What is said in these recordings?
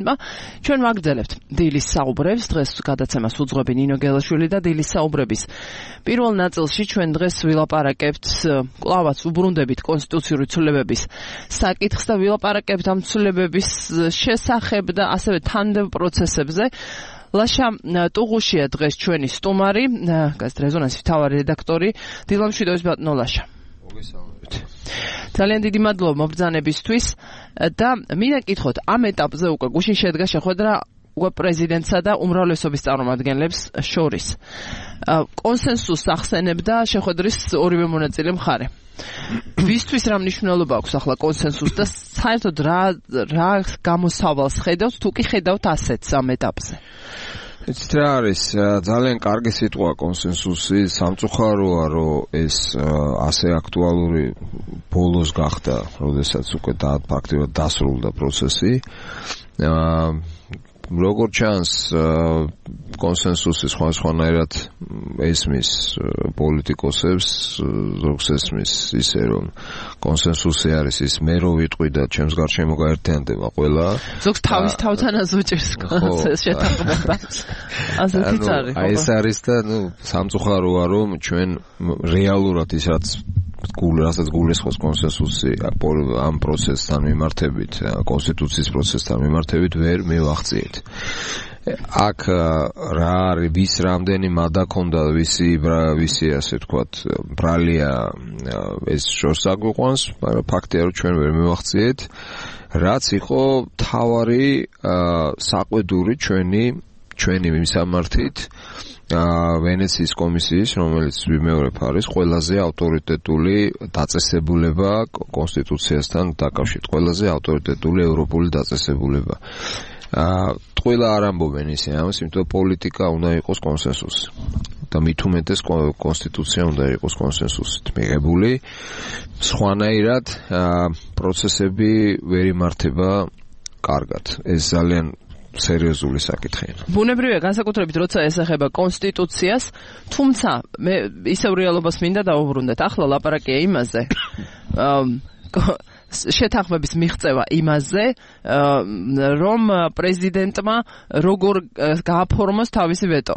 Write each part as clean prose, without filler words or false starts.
ჩვენ ვაგრძელებთ დილის საუბრებს, დღეს გადაცემას უძღვები ნინო გელაშვილი და დილის საუბრების პირველ ნაწილში ჩვენ დღეს ვილაპარაკებთ, კლავაც უბრუნდებით კონსტიტუციური ცვლილებების საკითხს და ვილაპარაკებთ ამ ცვლილებების შესახებ და ასევე თანმდებობ პროცესებზე. ლაშა ტუღუშია დღეს ჩვენი სტუმარი, გაზეთ რეზონანსის მთავარი რედაქტორი, დილამშვიდობის ბატონო ლაშა. ძალიან დიდი მადლობა მობრძანებისთვის და მინდა გითხოთ ამ ეტაპზე უკვე გუშინ შედგა შეხვედრა უკვე პრეზიდენტსა და უმრავლესობის წარმომადგენლებს შორის. კონსენსუსს ახსენებდა შეხვედრის ორივე მონაწილე მხარე. ვისთვის რა მნიშვნელობა აქვს ახლა კონსენსუსს და საერთოდ რა გამოსავალს ხედავთ თუ კი ხედავთ ასეთს ამ ეტაპზე? იცით რა არის ძალიან კარგი სიტყვა კონსენსუსი, სამწუხაროა რომ ეს ასე აქტუალური ბოლოს გახდა, როდესაც უკვე ფაქტობრივად დასრულდა პროცესი. როგორც ჩანს კონსენსუსი სხვანაირად ესმის პოლიტიკოსებს, ზოგს ესმის ისე რომ კონსენსუსი არის ის მე რო ვიტყვი და ჩემს გარშემო გაერთიანდება ყველა. ზოგს თავის თავთანაც უჭერს შეთანხმება. ასეთიც არის. აი ეს არის და სამწუხაროა რომ ჩვენ რეალურად ის რასაც გულისხმობს კონსენსუსი ამ პროცესთან მიმართებით, კონსტიტუციის პროცესთან მიმართებით ვერ მივახციეთ. აქ რა არის, ვის რამდენი მადა ქონდა, ვისი ასე ვთქვათ, ბრალია ეს შორს აგვიყვანს, მაგრამ ფაქტია რომ ჩვენ ვერ მივახციეთ, რაც იყო თავარი საყვედური ჩვენი მისამართით ვენეციის კომისიის, რომელიც ვიმეორებ არის ყველაზე ავტორიტეტული დაწესებულება კონსტიტუციასთან დაკავშირებით, ყველაზე ავტორიტეტული ევროპული დაწესებულება. ყველა არ ამბობენ ისე ამას, იმიტომ პოლიტიკა უნდა იყოს კონსენსუსი. და მით უმეტეს კონსტიტუცია უნდა იყოს კონსენსუსით მიღებული. სხვანაირად პროცესები ვერ იმართება კარგად. ეს ძალიან სერიოზული საკითხია. ბუნებრივია, განსაკუთრებით როცა ესახება კონსტიტუციას, თუმცა მე ისევ რეალობას მინდა დავუბრუნდეთ. ახლა ლაპარაკია იმაზე, შეთანხმების მიღწევა იმაზე, რომ პრეზიდენტმა როგორ გააფორმოს თავისი ვეტო.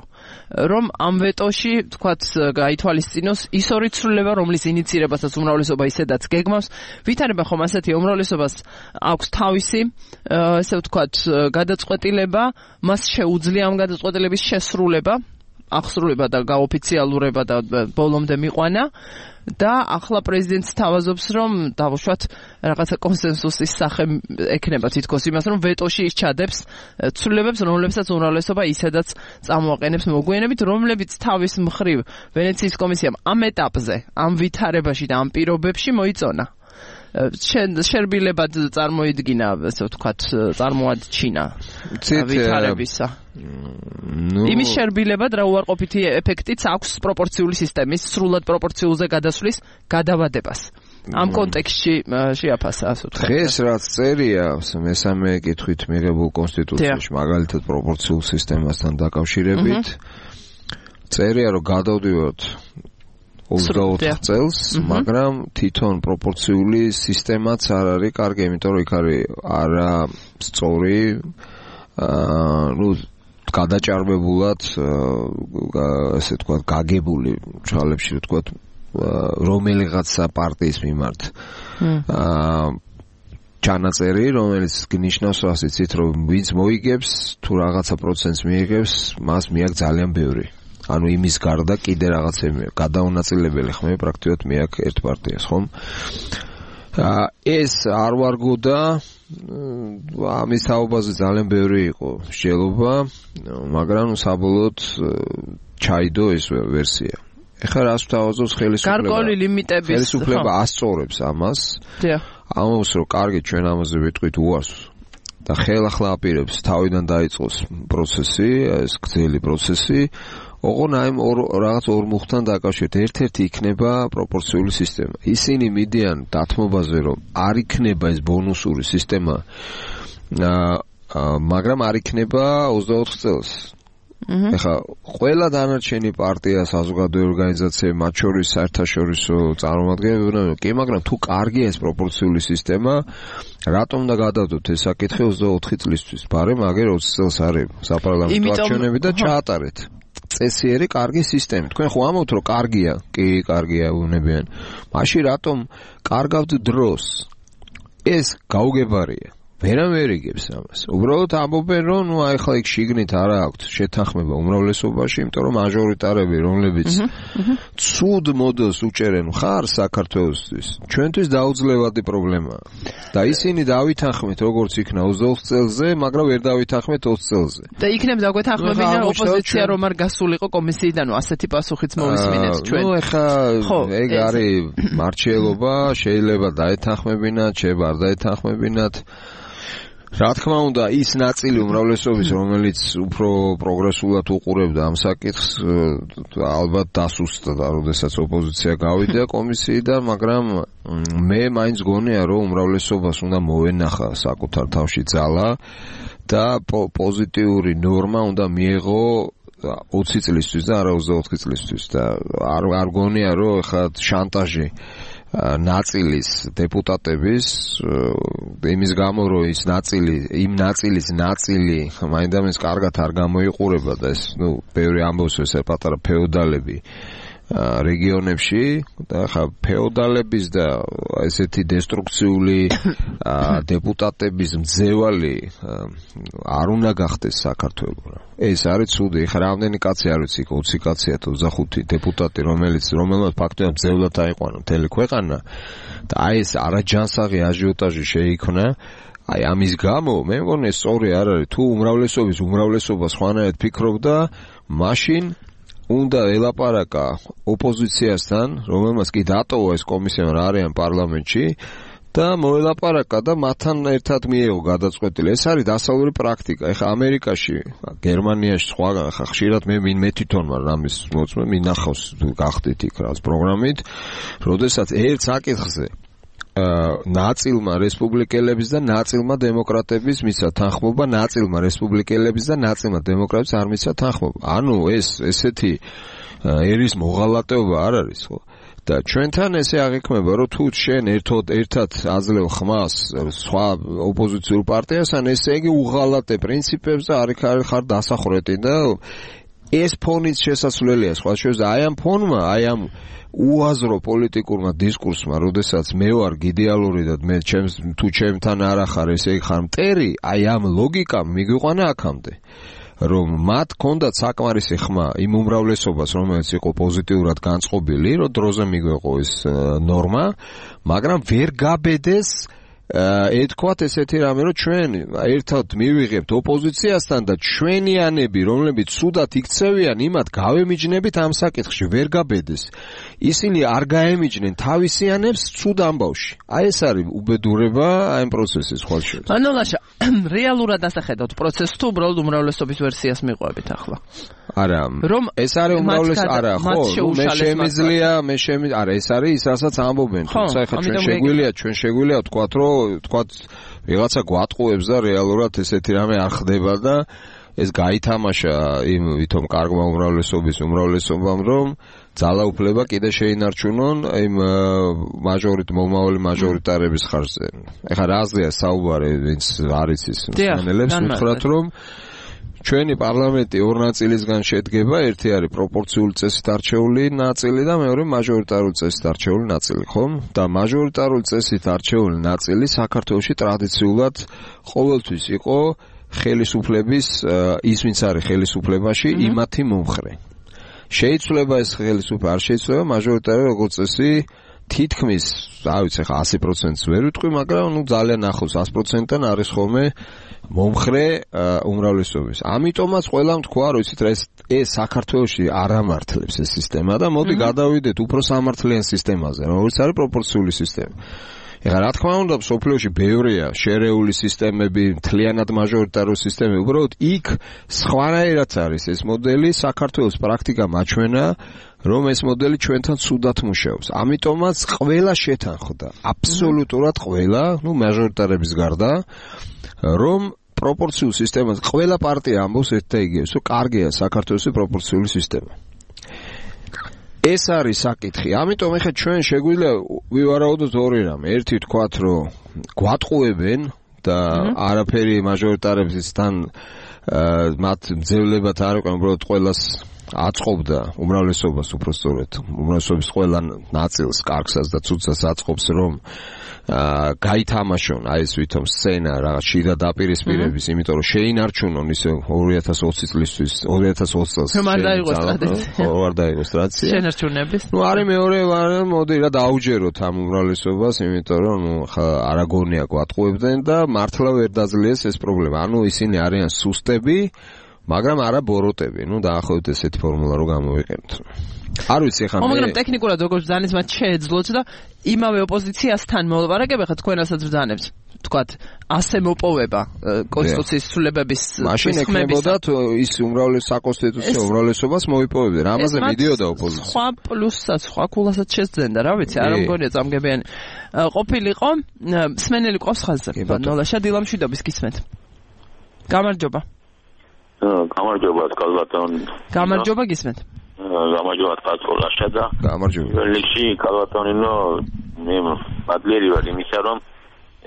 რომ ამ ვეტოში, თქვათ, გაითვალისწინოს ის ორი ცვლილება, რომლის ინიცირებასაც უმრავლესობა ისედაც გეგმავს. ვითარება ხომ ასეთი უმრავლესობას აქვს თავისი, ესე ვთქვათ, გადაწყვეტილება, მას შეუძლია ამ გადაწყვეტილების შესრულება, აღსრულება და გაოფიციალურება და ბოლომდე მიყვანა. და ახლა პრეზიდენტს თავაზობს, რომ დავუშვათ რაღაცა კონსენსუსის სახე ექნება თითქოს იმას, რომ ვეტოში ის ჩადებს ცვლილებებს, რომლებსაც უმრავლესობა ისედაც წამოაყენებს მოგვიანებით, რომლებიც თავის მხრივ ვენეციის კომისიამ ამ ეტაპზე, ამ ვითარებაში და ამ პირობებში მოიწონა. შერბილებად წარმოიდგინა, ესე ვთქვათ, წარმოაჩინა ვითარებისა. იმის შერბილებად რა უარყოფითი ეფექტიც აქვს პროპორციული სისტემის სრულად პროპორციულზე გადასვლის გადავადებას. ამ კონტექსტში შეაფასა, ასე ვთქვათ. დღეს რაც წერია მესამე კითხვით მიღებულ კონსტიტუციაში, მაგალითად პროპორციულ სისტემასთან დაკავშირებით, წერია რომ გადავდივართ 24 წელს, მაგრამ თვითონ პროპორციული სისტემაც არ არის კარგი, იმიტომ რომ იქ არის არა სწორი, გადაჭარბებულად, ასე ვთქვათ, გაგებული ჩალებში, ვთქვათ, რომელიღაცა პარტიის მიმართ. ჩანაწერი, რომელიც გნიშნავს ასეც, რომ ვინც მოიგებს, თუ რაღაცა პროცენტს მიიღებს, მას მიაქვს ძალიან ბევრი. ანუ იმის გარდა კიდე რაღაცები გადაუნაწილებელი ხმები პრაქტიკულად მიაქვს ერთ პარტიას, ხომ? ეს არ ვარგოდა, ამის თაობაზე ძალიან ბევრი იყო მსჯელობა, მაგრამ საბოლოოდ ჩაიდო ეს ვერსია. ეხლა რას ვთავაზობს ხელისუფლება? გარკვეული ლიმიტების. ხელისუფლება ასწორებს ამას. ამბობს, რომ კარგი, ჩვენ ამაზე ვიტყვით უარს. და ხელახლა აპირებს თავიდან დაიწყოს პროცესი, ეს გრძელი პროცესი. ოღონ აი რაღაც ორ მუხთან დაკავშირებით ერთ-ერთი იქნება პროპორციული სისტემა. ისინი მიდიან დათმობაზე, რომ არ იქნება ეს ბონუსური სისტემა, მაგრამ არ იქნება 24 წელს. ეხლა ყველა დანარჩენი პარტია, საზოგადოებრივი ორგანიზაცია, მათ შორის საერთაშორისო წარმომადგენლები, კი, მაგრამ თუ კარგია ეს პროპორციული სისტემა, რატომ და გადავდოთ ეს საკითხი 24 წლისთვის? ბარემ აგერ 20 წელს არის საპარლამენტო არჩევნები და ჩაატარეთ. წესიერი კარგი სისტემა. თქვენ ხო ამბობთ, რომ კარგია? კი, კარგია, უნებიან. მაშინ რატომ კარგავთ დროს? ეს გაუგებარია. ვერ იგებს ამას. უბრალოდ ამბობენ, რომ ნუ აი ხლა იქ შიგნით არა აქვთ შეთანხმება უმრავლესობაში, იმიტომ რომ მაჟორიტარები, რომლებიც ცუდ მოდელს უჭერენ ხარ საქართველოსთვის, ჩვენთვის დაუძლევადი პრობლემაა. და ისინი დავითანხმეთ როგორც იქნა 24 წელზე, მაგრამ ვერ დავითანხმეთ 20 წელზე. და იქნებ დაგვეთანხმებინა ოპოზიცია რომ არ გასულიყო კომისიიდან, ასეთი პასუხიც მოვისმინეთ ჩვენ. ნუ ეხა ეგ არის მარჩიელობა, შეიძლება დაეთანხმებინათ, შეიძლება არ დაეთანხმებინათ. რა თქმა უნდა, ის ნაწილი უმრავლესობის, რომელიც უფრო პროგრესულად უყურებდა ამ საკითხს, ალბათ დასუსტდა, როდესაც ოპოზიცია გავიდა კომისიიდან, მაგრამ მე მაინც გონია, რომ უმრავლესობას უნდა მოვენახა საკუთარ თავში ძალა და პოზიტიური ნორმა უნდა მიეღო 20 წლისთვის და არა 24 წლისთვის და არ გონია, რომ ხა შანტაჟი ნაწილის დეპუტატების იმის გამო რომ ის ნაწილი იმ ნაწილის ნაწილი მაინდამის კარგად არ გამოიყურება და ეს ნუ ბევრი ამბობს ეს პატარა ფეოდალები რეგიონებში და ხა ფეოდალების და ესეთი დესტრუქციული დეპუტატების მძევალი არ უნდა გახდეს საქართველოს. ეს არის ცუდი. ხა რამდენი კაცი არ ვიცი, 20 კაცია თუ 25 დეპუტატი, რომელმაც ფაქტობრივად მძევლად აიყვანა მთელი ქვეყანა და აი ეს არაჯანსაღი აჟიოტაჟი შეიქმნა. აი ამის გამო მე მგონი სწორი არ არის თუ უმრავლესობა სხვანაირად ფიქრობდა, მაშინ უნდა ელაპარაკა ოპოზიციასთან, რომელმაც კი დატოვა ეს კომისია რა არიან პარლამენტში და მოელაპარაკა და მათთან ერთად მიეღო გადაწყვეტილი. ეს არის დასავლური პრაქტიკა. ეხლა ამერიკაში, გერმანიაში სხვაგან ხა ხშირად მე თვითონ ვარ ამის მოწმე, მინახავს გახდით იქ რაც პროგრამით, როდესაც ერთ საკითხზე ნაწილმა რესპუბლიკელების და ნაწილმა დემოკრატების მისცა თანხმობა, ნაწილმა რესპუბლიკელების და ნაწილმა დემოკრატების არ მისცა თანხმობა. ანუ ესეთი ერის მოღალატეობა არ არის, ხო? და ჩვენთან ესე აღიქმება, რომ თუ შენ ერთად აძლევ ხმას სხვა ოპოზიციურ პარტიასთან, ესე იგი უღალატე პრინციპებს და არ ხარ დასახრეტი და ეს ფონიც შესაძლებელია სხვა შეძა აი ამ ფონმა, აი ამ უაზრო პოლიტიკურმა დისკურსმა, როდესაც მე ვარ იდეალური და მე თუ ჩემთან არ ახარ, ესე იგი ხარ მტერი, აი ამ ლოგიკამ მიგვიყვანა აქამდე. რომ მათ ჰქონდათ საკმარისი ხმა იმ უმრავლესობას, რომელიც იყო პოზიტიურად განწყობილი, რომ დროზე მიგვეყო ეს ნორმა, მაგრამ ვერ გაბედეს ეთქვათ ესეთი რამე, რომ ჩვენ ერთად მივიღებთ ოპოზიციასთან და ჩვენიანები, რომლებიც ცუდად იქცევიან, იმათ გავემიჯნებით ამ საკითხში, ვერ გაბედეს. ისინი არ გაემიჯნენ თავისიანებს ცუდ ამბავში. აი ეს არის უბედურება აი ამ პროცესის ხვალშეც. ანუ ლაშა, რეალურად ასახედავთ პროცესს თუ უბრალოდ უმრავლესობის ვერსიას მიყვებით ახლა? არა, რომ ეს არის უმრავლეს არა, ხო, არა, ეს არის ის, რასაც ამბობენ, თუმცა ეხლა ჩვენ შეგვიძლია ვთქვათ, რომ ვიღაცა გვატყუებს და რეალურად ესეთი რამე არ ხდება და ეს გაითამაშა იმ ვითომ კარგმა უმრავლესობამ, რომ ძალაუფლება კიდე შეინარჩუნონ იმ მომავალი მაჟორიტარების ხარჯზე. ეხლა რა აზრია საუბარი, ვინც არის ის მსმენელებს, ვთქვათ, რომ ჩვენი პარლამენტი ორ ნაწილისგან შედგება, ერთი არის პროპორციული წესით არჩეული ნაწილი და მეორე მაჟორიტარული წესით არჩეული ნაწილი, ხო? და მაჟორიტარული წესით არჩეული ნაწილი საქართველოში ტრადიციულად ყოველთვის იყო ხელისუფლების ის ვინც არის ხელისუფლებაში, იმათი მომხრე. შეიძლება ეს ხელისუფლება არ შეიძლება მაჟორიტარი როგორც წესი თითქმის, რა ვიცი, ხა 100%-ს ვერ ვიტყვი, მაგრამ ნუ ძალიან ახლოს 100%-დან არის ხოლმე მომხრე უმრავლესობის. ამიტომაც ყველამ თქვა, რომ იცით რა ეს საქართველოში არ ამართლებს ეს სისტემა და მოდი გადავიდეთ უფრო სამართლიან სისტემაზე, როგორც არის პროპორციული სისტემა. ეხლა რა თქმა უნდა, სოფლიოში ბევრია შერეული სისტემები, მთლიანად მაჟორიტარული სისტემები, უბრალოდ იქ სხვანაირად არის ეს მოდელი, საქართველოს პრაქტიკა მაჩვენა, რომ ეს მოდელი ჩვენთან ცუდად მუშაობს. ამიტომაც ყველა შეთანხმდა, აბსოლუტურად ყველა, ნუ მაჟორიტარების გარდა, რომ პროპორციულ სისტემას ყველა პარტია ამბობს ერთ და იგივეს, რომ კარგია საქართველოს პროპორციული სისტემა. ეს არის საკითხი. ამიტომ ეხლა ჩვენ შეგვიძლია ვივარაუდოთ ორი რამ. ერთი თქვათ, რომ გვატყუებენ და არაფერი მაჟორიტარებისთან მათ ძევლებად არ იყო, უბრალოდ ყველას აწყობდა უმრავლესობას უბრალოდ უმრავლესობის ყველა ნაწილს, კარგსაც და ცუდსაც აწყობს, რომ გაითამაშონ ეს ვითომ სცენა რაღაც შიდა დაპირისპირების, იმიტომ რომ შეინარჩუნონ ისე 2020 წლისთვის 2020 წელს არ დაიღოს ტრადიცია. არ დაიღოს ტრადიცია. შენარჩუნების. არის მეორე მოდი რა დაუჯეროთ ამ უმრავლესობას, იმიტომ რომ ხა არაგონია გვატყუებდნენ და მართლა ვერ დაძლიეს ეს პრობლემა. ისინი არიან სუსტები, მაგრამ არა ბოროტები. დაახლოებით ესეთი ფორმულა რო გამოვიყენოთ. არ ვიცი ხა მაგრამ ტექნიკურად როგორც ბრძანეს მათ შეეძლოთ და იმავე ოპოზიციასთან მოლაპარაკება ხა თქვენ რასაც ბრძანებთ თქვათ ასე მოპოვება კონსტიტუციის ცვლილებების მაშინ ეკნებოდათ ის საკონსტიტუციო უმრავლესობას მოიპოვებდნენ ამაზე მიდიოდა ოპოზიცია სხვა პლუსსაც სხვა კულასაც შეძენდა რა ვიცი არ მგონია წამგებიანი ყოფილიყო სმენელი ყავს ხაზზე ნოლაშა დილამშვიდობის გისმენთ გამარჯობა გამარჯობა გისმენთ გამარჯობა კაცოლაშა და გამარჯობა ველიში კალათონინო მე პადლერი ვარ იმისა რომ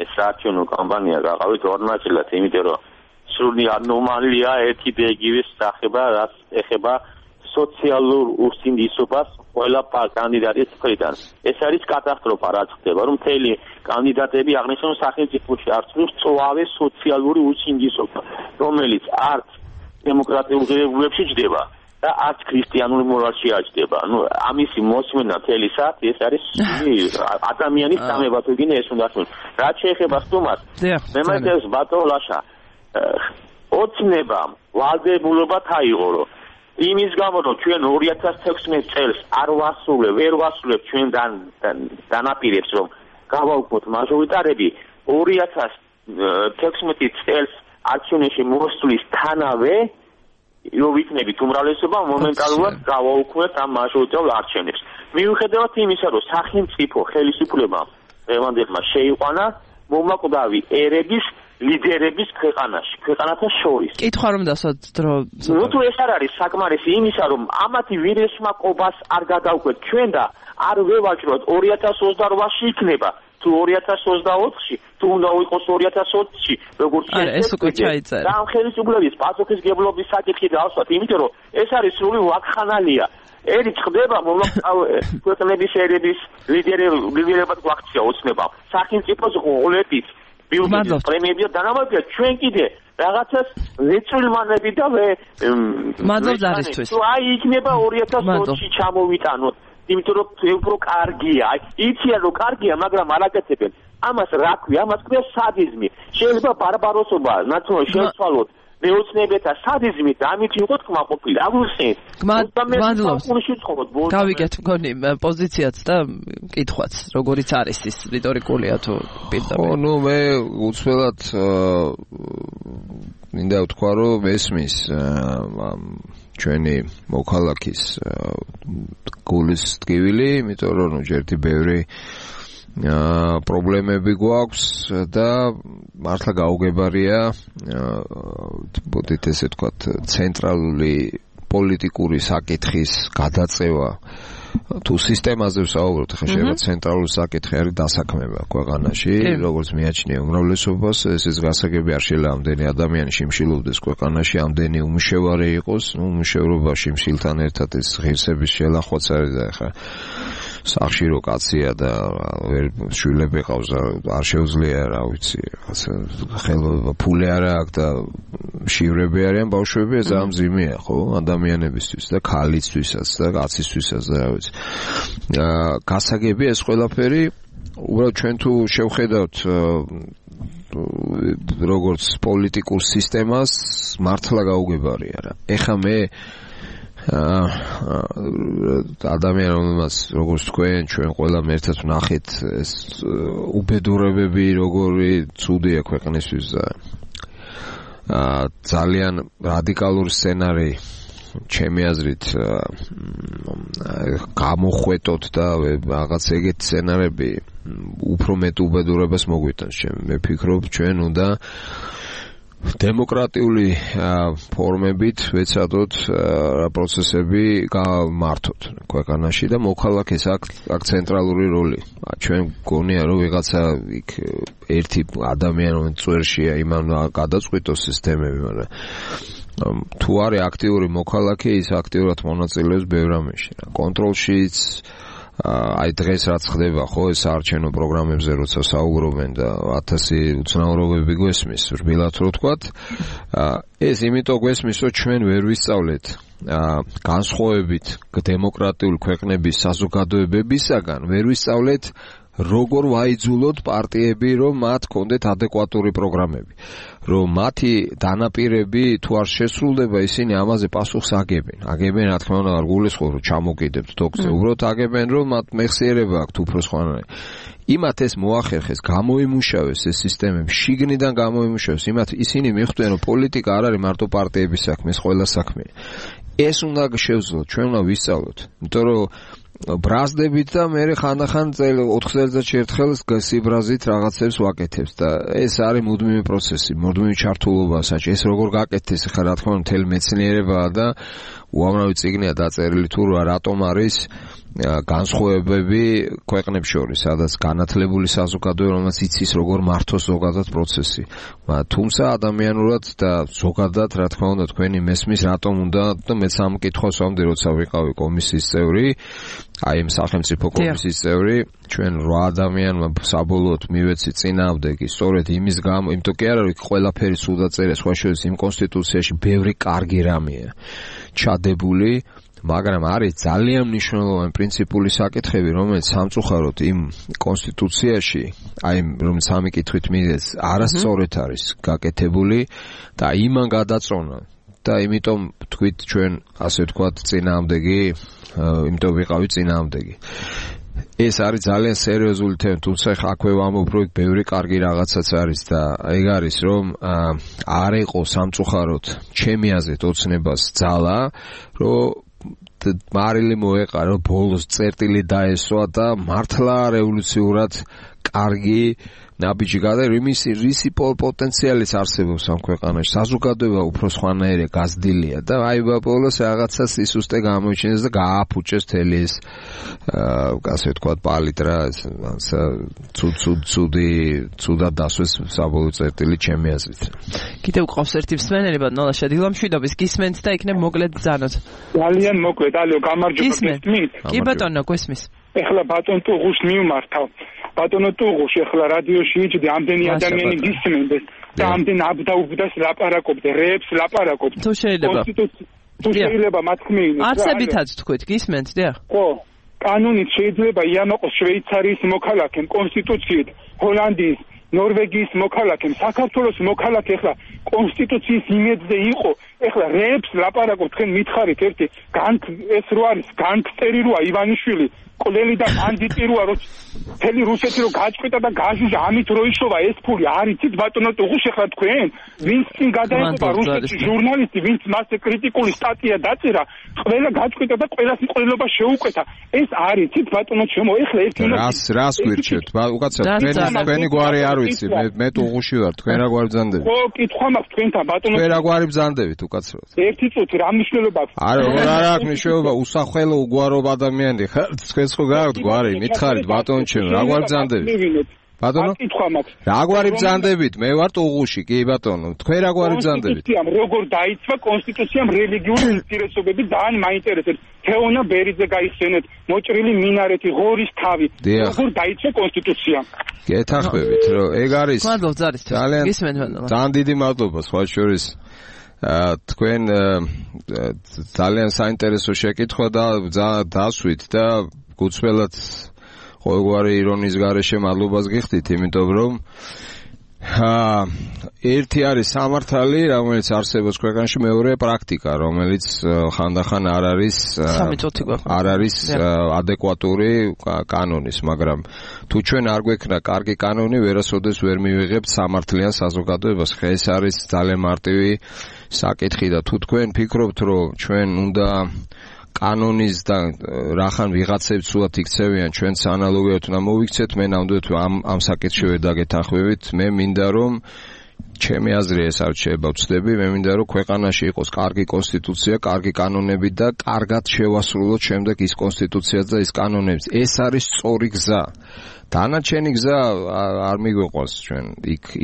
ეს საარჩევნო კამპანია გაყავით ორ ნაწილად იმიტომ რომ სრული ანომალია ერთი და იგივე სახება რაც ეხება სოციალურ უსინდისობას ყველა კანდიდატის მხრიდან ეს არის კატასტროფა რაც ხდება რომ მთელი კანდიდატები აღნიშნულ სახელმწიფოში არწმუნს წვავე სოციალური usindisობა რომელიც არც დემოკრატიულ ღირებულებში ჯდება და არც ქრისტიანულ მორალში აჯდება. ამისი მოსმენა მთელი საათი ეს არის ადამიანის სამება თუ გინდა ეს უნდა თქვენ. რაც შეეხება სტუმარს, მე მეთქეს ბატონლაშა ოცნებამ ვალდებულობა თაიღო იმის გამო რომ ჩვენ 2016 წელს არ ვერ ვასრულებ ჩვენ დანაპირებს რომ გავაუქმოთ მაჟორიტარები 2016 წელს არჩევნებში მოსვლის თანავე რომ ვიქნებით უმრავლესობა მომენტალურად გავაუქმებთ ამ მაჟორიტარულ არჩევნებს. მიუხედავად იმისა, რომ სახელმწიფო ხელისუფლებამ დღევანდელმა შეიყვანა მომაკვდავი ერების ლიდერების ქვეყანათა შორის. კითხვა რომ დასვათ დრო. თუ ეს არ არის საკმარისი იმისა, რომ ამათი ვირესმა ყობას არ გადავკვეთ ჩვენ და არ ვევაჭროთ 2028-ში იქნება თუ 2024-ში თუ უნდა იყოს 2020-ში როგორც ეს უკვე ჩაიწერა. და ამ ხელისუფლების პასუხისმგებლობის საკითხი დავსვათ, იმიტომ რომ ეს არის სრული ვაკხანალია. ერი ხდება ქვეყნების ერების ლიდერებად გვაქცია ოცნება. სახელმწიფოს ღოლებით ბიუჯეტის პრემიები და დანამატია ჩვენ კიდე რაღაცას ვეწილმანები და მადლობთ არისთვის. აი იქნება 2020-ში ჩამოვიტანოთ. იმიტომ რომ უფრო კარგია. იციან რომ კარგია, მაგრამ არ აკეთებენ. ამას რა ქვია? ამას ქვია სადიზმი. შეიძლება ბარბაროსობა ნაციონალურად შეცვალოთ მეოცნებეთა სადიზმით და ამით იყო თქმაყოფილი. აგვიხსენეთ. მადლობთ. გავიგეთ მგონი პოზიციაც და კითხვაც, როგორიც არის ის რიტორიკულია თუ პირდაპირ. მე უცვლელად მინდა ვთქვა რომ ესმის ჩვენი მოქალაქის გულის ტკივილი, იმიტომ რომ ჯერტი ბევრი პრობლემები გვაქვს და მართლა გაუგებარია ბოდით ესე ვთქვათ ცენტრალური პოლიტიკური საკითხის გადაწევა თუ სისტემაზე ვსაუბრობთ, ხა შეიძლება ცენტრალური საკითხი არის დასაქმება ქვეყანაში, როგორც მიაჩნია უმრავლესობას, ეს გასაგები არ შეიძლება ამდენი ადამიანი შიმშილობდეს ქვეყანაში, ამდენი უმუშევარი იყოს, უმუშევრობა შიმშილთან ერთად ეს ღირსების შელახვაც არის და ხა სახში რო კაცია და შვილები ყავს არ შეუძლია რა ვიცი, ხელობა ფული არ აქვს და შივრები არიან ბავშვები, ეს ამ ზიმია ხო ადამიანებისთვის და ქალისთვისაც და კაცისთვისაც და რა ვიცი. გასაგები ეს ყველაფერი უბრალოდ ჩვენ თუ შევხედავთ როგორც პოლიტიკურ სისტემას მართლა გაუგებარია რა. ეხა მე ადამიანებს როგორც თქვენ ჩვენ ყველამ ერთად ვნახეთ ეს უბედურებები როგორი ცუდია ქვეყნისთვის და ძალიან რადიკალური სცენარი ჩემი აზრით გამოხვეტოთ და რაღაც ეგეთ სცენარები უფრო მეტ უბედურებას მოგვიტანს. მე ფიქრობ ჩვენ უნდა დემოკრატიული ფორმებით ვეცადოთ პროცესები გამართოთ ქვეყანაში და მოქალაქეს აქ ცენტრალური როლი. ჩვენ გონია რომ ვიღაცა იქ ერთი ადამიანი წვერშია იმან გადაწყვიტოს სისტემები, მაგრამ თუ არის აქტიური მოქალაქე, ის აქტიურად მონაწილეობს ბევრ რამეში. კონტროლშიც აი დღეს რაც ხდება ხო ეს საარჩევნო პროგრამებზე როცა საუბრობენ და 1000 უცნაურობები გვესმის რბილად რო ვთქვათ ეს იმიტომ გვესმის რომ ჩვენ ვერ ვისწავლეთ განსხვავებით დემოკრატიული ქვეყნების საზოგადოებებისაგან ვერ ვისწავლეთ როგორ ვაიძულოთ პარტიები რომ მათ კონდეთ ადეკვატური პროგრამები რომ მათი დანაპირები თუ არ შესრულდება ისინი ამაზე პასუხს აგებენ რა თქმა უნდა არ გულისხმობ რომ ჩამოკიდებთ თოქზე უბრალოდ აგებენ რომ მათ მეხსიერება აქვთ უფრო სხვანაირი იმათ ეს მოახერხეს გამოიმუშავეს ეს სისტემები შიგნიდან გამოიმუშავეს იმათ ისინი მიხვდნენ რომ პოლიტიკა არ არის მარტო პარტიების საქმე ეს ყველა საქმეა ეს უნდა შევძლოთ ჩვენ უნდა ვისწავლოთ იმიტომ რომ ბრაზდებით და მე ხანდახან 4 წელიწადში ერთხელ სიბრაზით რაღაცებს ვაკეთებს და ეს არის მუდმივი პროცესი, მუდმივი ჩართულობა საჭი. ეს როგორ გაკეთდეს ხა რა თქმა უნდა მთელი მეცნიერებაა და უამრავი წიგნია დაწერილი თუ რატომ არის განსხვავებები ქვეყნებს შორის, სადაც განათლებული საზოგადოება, რომელსაც იცის როგორ მართოს ზოგადად პროცესი. თუმცა ადამიანურად და ზოგადად, რა თქმა უნდა, თქვენი მესმის რატომ უნდა და მეც ამ კითხვას ვამბდი, როცა ვიყავი კომისიის წევრი, აი იმ სახელმწიფო კომისიის წევრი, ჩვენ 8 ადამიანმა საბოლოოდ მივეცი წინააღმდეგი, სწორედ იმის გამო, იმიტომ კი არა, რომ ყველაფერი სულ დაწერეს, სხვა შორის იმ კონსტიტუციაში ბევრი კარგი რამეა ჩადებული მაგრამ არის ძალიან მნიშვნელოვანი პრინციპული საკითხები, რომელიც სამწუხაროდ იმ კონსტიტუციაში, აი რომ სამი კითხვით მიდეს, არასწორად არის გაკეთებული და იმან გადაწონა და იმიტომ თქვით ჩვენ ასე ვთქვათ წინააღმდეგი, იმიტომ ვიყავი წინააღმდეგი. ეს არის ძალიან სერიოზული თემა, თუმცა აქვე ვამბობ, რომ ბევრი კარგი რაღაცაც არის და ეგ არის, რომ არ იყო სამწუხაროდ ჩემი აზრით ოცნებას ძალა, რომ მარილი მოეყარა ბოლოს წერტილი დაესვა და მართლა რევოლუციურად კარგი ნაბიჯი გადაიღო რისი პოტენციალიც არსებობს ამ ქვეყანაში საზოგადოება უფრო სხვანაირია გაზრდილია და აი ბოლოს რაღაცა სისუსტე გამოიჩინეს და გააფუჭეს თელი ეს ასე ვთქვათ პალიტრა ცუდად დასვეს საბოლოო წერტილი ჩემი აზრით კიდევ ყავს ერთი მსმენელი ბატონო დილამშვიდობის გისმენთ და იქნებ მოკლედ ბრძანოთ ძალიან მოკლედ ალო გამარჯობა გისმენთ კი ბატონო გვესმის ეხლა ბატონ ტუღუს მიმართავ ბატონო ტუღუს ეხლა რადიოში იჭდი ამდენი ადამიანი გისმენდეს და ამდენ აბდაუბდას ლაპარაკობდე რეებს ლაპარაკობდე თუ შეიძლება თუ შეიძლება მათქმეინოს არცებითაც თქვით გისმენთ დიახ ხო კანონით შეიძლება იამაყოს შვეიცარიის მოქალაქემ კონსტიტუციით ჰოლანდიის ნორვეგიის მოქალაქემ საქართველოს მოქალაქე ეხლა კონსტიტუციის იმედზე იყო ეხლა რეებს ლაპარაკობ თქვენ მითხარით ერთი ეს რო არის განგსტერი როა ივანიშვილი კოლელი და ბანდიტი როა რო მთელი რუსეთი რო გაჭყვიტა და გაჟუჟა ამით რო იშოვა ეს ფული არიცით ბატონო ტუღუს ეხლა თქვენ ვინც წინ გადაეყობა რუსეთის ჟურნალისტი ვინც მასზე კრიტიკული სტატია დაწერა ყველა გაჭყვიტა და ყველას მკვლელობა შეუკვეთა ეს არიცით ბატონო ჩემო ეხლა ერთი რას გვირჩევთ უკაცრავ თქვენი გვარი არ ვიცი მე ტუღუში ვარ თქვენ რა გვარი ბრძანდებით ხო კითხვა მაქვს თქვენთან ბატონო თქვენ რა გვარი ბრძანდებით უკაცრავ ერთი წუთი რა მნიშვნელობა აქვს არა აქვს მნიშვნელობა უსახელო უგვაროვ ადამიანი ხარ თქვენს ხო გაქვთ გვარი მითხარით ბატონო ჩემო რა გვარი ბრძანდებით ბატონო კითხვა მაქვს რა გვარი ბრძანდებით მე ვარ ტუღუში კი ბატონო თქვენ რა გვარი ბრძანდებით როგორ დაიცვა კონსტიტუციამ რელიგიური ინტერესობები ძალიან მაინტერესებს თეონა ბერიძე გაიხსენეთ მოჭრილი მინარეთი ღორის თავი როგორ დაიცვა კონსტიტუციამ გეთახმებით რომ ეგ არის მადლობა ძალიან დიდი მადლობა სხვა შორის თქვენ ძალიან საინტერესო შეკითხვა და დასვით და გუცველად ყოველგვარი ირონიის გარეშე მადლობას გიხდით, იმიტომ რომ ერთი არის სამართალი, რომელიც არსებობს ქვეყანაში, მეორეა პრაქტიკა, რომელიც ხანდახან არ არის ადეკვატური კანონის, მაგრამ თუ ჩვენ არ გვექნა კარგი კანონი, ვერასოდეს ვერ მივიღებთ სამართლიან საზოგადოებას. ეს არის ძალიან მარტივი საკითხი და თუ თქვენ ფიქრობთ, რომ ჩვენ უნდა კანონის და რახან ვიღაცებს სულად იქცევიან ჩვენს ანალოგიად უნდა მოვიქცეთ მე ნამდვილად ამ საკითხში ვერ დაგეთანხმებით მე მინდა რომ ჩემი აზრი ეს არ შეიძლება ვწდები, მე მინდა რომ ქვეყანაში იყოს კარგი კონსტიტუცია, კარგი კანონები და კარგად შევასრულოთ შემდეგ ის კონსტიტუციაც და ის კანონები. ეს არის სწორი გზა. დანარჩენი გზა არ მიგვიყვარს ჩვენ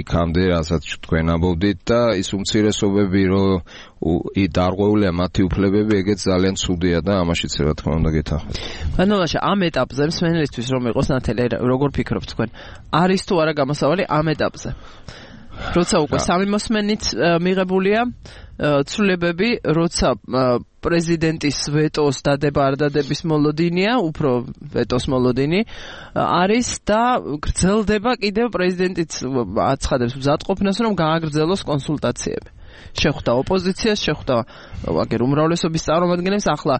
იქამდე, რასაც თქვენ ამბობდით და ის უმცირესობები რომ დარღვეულია მათი უფლებები, ეგეც ძალიან ცუდია და ამაშიც რა თქმა უნდა გეთანხმებით. ბანალაშა ამ ეტაპზე მსმენელისთვის რომ იყოს ნათელი, როგორ ფიქრობთ თქვენ? არის თუ არა გამოსავალი ამ ეტაპზე? როცა უკვე სამი მოსმენით მიღებულია ცვლილებები, როცა პრეზიდენტის ვეტოს დადება არ დადების მოლოდინია, უფრო ვეტოს მოლოდინი არის და გრძელდება კიდევ პრეზიდენტიც აცხადებს მზადყოფნას, რომ გააგრძელოს კონსულტაციები. შეხვდა ოპოზიციას, შეხვდა აგერ უმრავლესობის წარმომადგენლებს, ახლა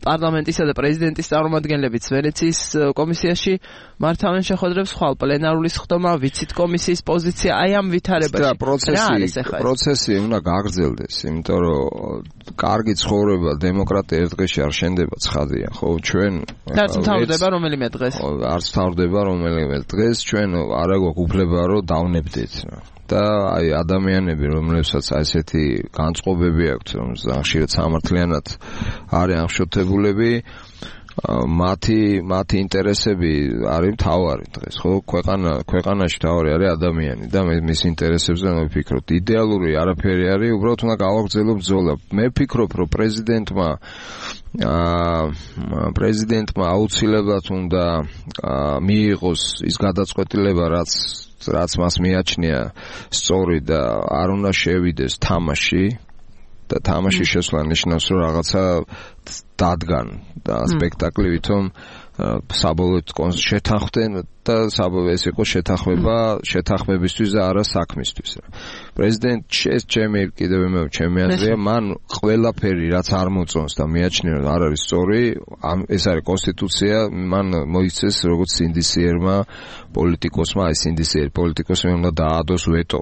პარლამენტისა და პრეზიდენტის წარმომადგენლებიც ვენეციის კომისიაში მართავენ შეხვედრებს, ხვალ პლენარული სხდომა, ვიცით კომისიის პოზიცია, აი ამ ვითარებაში. პროცესი უნდა გაგრძელდეს, იმიტომ რომ კარგი ცხოვრება, დემოკრატია ერთ დღეში არ შენდება, ცხადია, ხო, ჩვენ არც მთავრდება რომელიმე დღეს. არც მთავრდება რომელიმე დღეს, ჩვენ არა გვაქვს უფლება რომ დავნებდეთ. და აი ადამიანები, რომლებსაც ესეთი განწყობები აქვთ, რომ ხშირად სამართლიანად არის აღშოთებულები, მათი ინტერესები არის მთავარი დღეს, ხო? ქვეყანაში მთავარი არის ადამიანი და მის ინტერესებზე მე ვფიქრობ. იდეალური არაფერი არის, უბრალოდ უნდა გავაგრძელოთ ბრძოლა. მე ვფიქრობ, რომ პრეზიდენტმა აუცილებლად უნდა მიიღოს ის გადაწყვეტილება, რაც მას მიაჩნია სწორი და არ უნდა შევიდეს თამაში და თამაში შესვლა ნიშნავს რომ რაღაცა დადგან და სპექტაკლი ვითომ საბოლოოდ შეთანხმდნენ და ეს იყო შეთანხმებისთვის და არა საქმისთვის. პრეზიდენტს ჩემი აზრია, მან ყველაფერი რაც არ მოწონს და მიაჩნია რომ არ არის სწორი, ეს არის კონსტიტუცია, მან მოიცეს როგორც სინდისიერმა პოლიტიკოსმა, აი სინდისიერი პოლიტიკოსმა უნდა დაადოს ვეტო.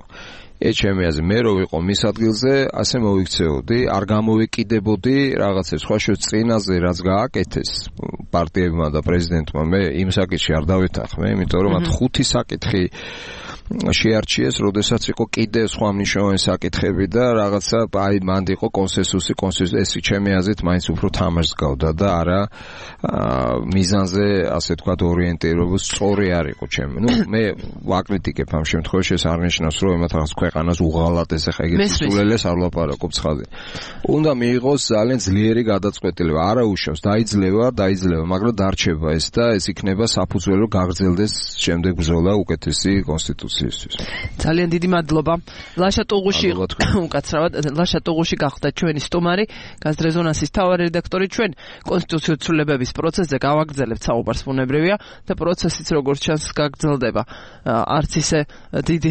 ეს ჩემი აზრი, მე რო ვიყო მის ადგილზე, ასე მოვიქცეოდი, არ გამოვეკიდებოდი რაღაცებს, სხვა წინაზე რაც გააკეთეს პარტიებმა და პრეზიდენტმა, მე იმ საკითხში არ დავეთანხმე, იმიტომ რომ მათ 5 საკითხი შეარჩიეს, როდესაც იყო კიდე სხვა მნიშვნელოვანი საკითხები და რაღაცა აი მანდ იყო კონსენსუსი, ეს ჩემი აზრით მაინც უფრო თამაშს გავდა და არა მიზანზე, ასე ვთქვათ, ორიენტირებული სწორი არ იყო ჩემი. მე ვაკრიტიკებ ამ შემთხვევაში, ეს არ ნიშნავს, რომ ემათ რაღაც ქვეყანას უღალატეს, ახლა ეგეთი სულელეს არ ვლაპარაკობ ცხადია. უნდა მიიღოს ძალიან ძლიერი გადაწყვეტილება, არა უშავს, დაიძლევა, მაგრამ დარჩება ეს და ეს იქნება საფუძველი, გაგრძელდეს შემდეგ ბრძოლა უკეთესი კონსტიტუცია. ძალიან დიდი მადლობა. ლაშა ტუღუში უკაცრავად, ლაშა ტუღუში გახდა ჩვენი სტუმარი, გაზ რეზონანსის მთავარი რედაქტორი. ჩვენ კონსტიტუციური ცვლილებების პროცესზე გავაგრძელებთ საუბარს, ბუნებრივია და პროცესიც როგორც ჩანს გაგრძელდება. არც ისე დიდი